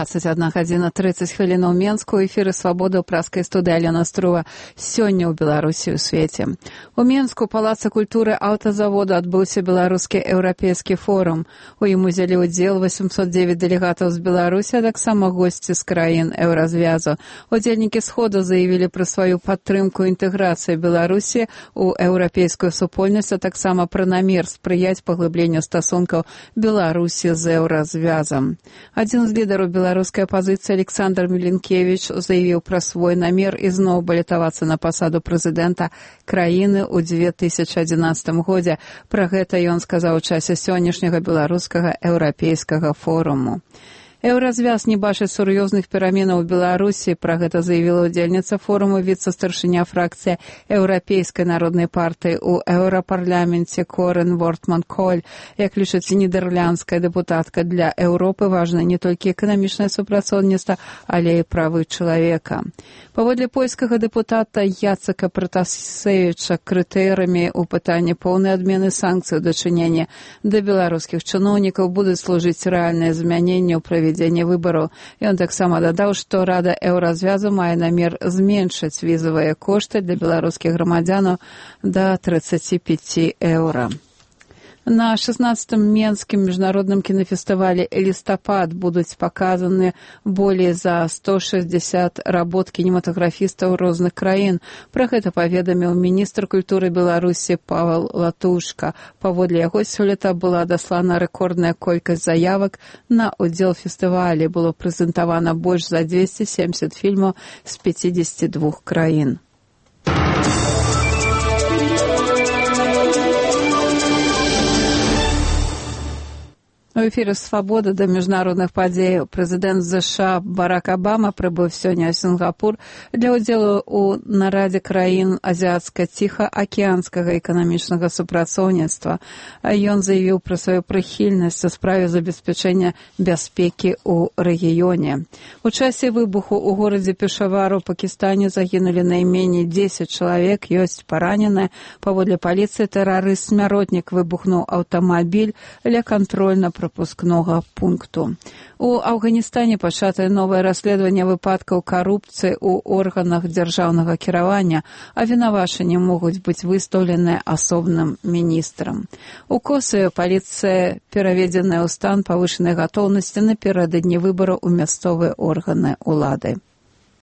21:30 у Менску. У эфіры «Свабода» ў праскай студыі Алена Струва. Сёння ў Беларусі ў свеце. У Менску ў Палацы культуры аўтазавода адбыўся беларускі еўрапейскі форум. У ім узялі ўдзел 809 дэлегатаў з Беларусі, а таксама госці з краін еўразвязу. Удзельнікі сходу заявілі пра сваю падтрымку інтэграцыі Беларусі ў еўрапейскую супольнасць, а таксама пра намер спрыяць паглыбленню стасункаў Беларусі з еўразвязам. Адзін з лідараў беларускай апазіцыі Александр Міленкевіч заявіў пра свой намер ізноў балятавацца на пасаду прэзідэнта краіны ў 2011 годзе. Пра гэта ён сказаў у часе сённяшняга беларускага еўрапейскага форуму. Еўразвяз не бачыць сур'ёзных пераменаў у Беларусі, пра гэта заявіла ўдзельніца форуму віцэ-старшыня фракцыі Еўрапейскай народнай партыі ў еўрапарламенце Корен Вортман-Коль. Як лічыць нідэрландская дэпутатка, для Еўропы важна не толькі эканамічнае супрацоўніцтва, але і правы чалавека. Паводле польскага дэпутата Яцека Пратасевіча крытэрыямі ў пытанні поўнай адмены санкцый у дачыненні да беларускіх чыноўнікаў будуць служыць рэальнае змяненне ў правядзенні выбараў. Ён таксама дадаў, што Рада еўразвязу мае намер зменшыць візавыя кошты для беларускіх грамадзянаў да 35 еўра. На 16-м Менскім міжнародным кінафестывалі «Лістапад» будуць паказаны болей за 160 работ кінематаграфістаў розных краін. Пра гэта паведаміў міністр культуры Беларусі Павел Латушка. Паводле яго сёлета была даслана рэкордная колькасць заявак на ўдзел фестывалі. Было прэзентавана больш за 270 фільмаў з 52 краін. У эфіры «Свабода» да міжнародных падзеяў. Прэзідэнт США Барак Абама прыбыў сёння ў Сінгапур для ўдзелу ў нарадзе краін азіацка-ціха-акіянскага эканамічнага супрацоўніцтва. Ён заявіў пра сваю прыхільнасць у справе забеспячэння бяспекі ў рэгіёне. У часе выбуху ў горадзе Пешавар у Пакістане загінулі найменей 10 чалавек, ёсць параненыя. Паводле паліцыі тэрарыст-смяротнік выбухнуў аўтамабіль ля кантрольна-прапускнога пункту. У Афганістане пачатае новае расследаванне выпадкаў карупцыі ў органах дзяржаўнага кіравання, а вінавачанні могуць быць выстаўленыя асобным міністрам. У Косаве паліцыя пераведзеная ў стан павышанай гатоўнасці наперададні выбараў у мясцовыя органы ўлады.